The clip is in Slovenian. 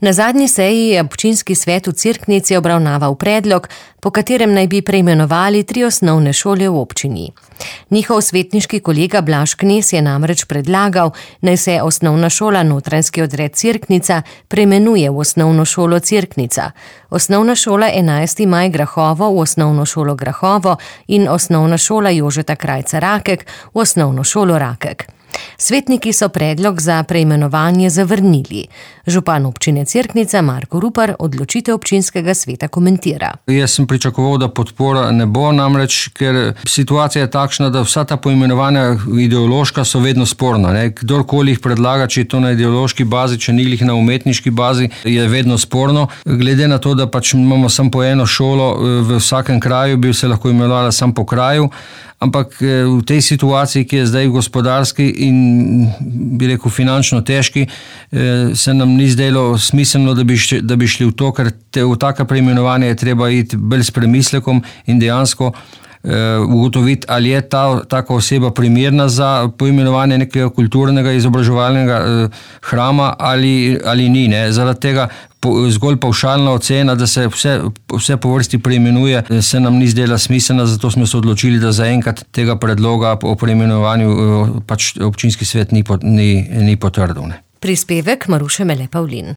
Na zadnji seji je občinski svet v Cerknici obravnaval predlog, po katerem naj bi preimenovali 3 osnovne šole v občini. Njihov svetniški kolega Blaž Knez je namreč predlagal, naj se osnovna šola Notranjski odred Cerknica preimenuje v osnovno šolo Cerknica, osnovna šola 11. maj Grahovo v osnovno šolo Grahovo in osnovna šola Jožeta Krajca Rakek v osnovno šolo Rakek. Svetniki so predlog za preimenovanje zavrnili. Župan občine Cerknica Marko Rupar odločitev občinskega sveta komentira. Jaz sem pričakoval, da podpora ne bo, namreč, ker situacija je takšna, da vsa ta poimenovanja ideološka so vedno sporna. Kdorkoli jih predlaga, če je to na ideološki bazi, če ni jih na umetniški bazi, je vedno sporno. Glede na to, da pač imamo samo po eno šolo v vsakem kraju, bi se lahko imenovala samo po kraju, ampak v tej situaciji, ki je zdaj gospodarski in bi rekel finančno težki, se nam ni zdelo smiselno, da bi šli v to, ker v taka preimenovanja je treba iti bolj s premislekom in dejansko ugotoviti, ali je taka oseba primerna za poimenovanje nekega kulturnega izobraževalnega hrama ali ni. Zaradi tega zgolj pavšalna ocena, da se vse po vrsti preimenuje, se nam ni zdela smiselna, zato smo se odločili, da zaenkrat tega predloga o preimenovanju pač občinski svet ni potrdil. Prispevek Maruše Mele Pavlin.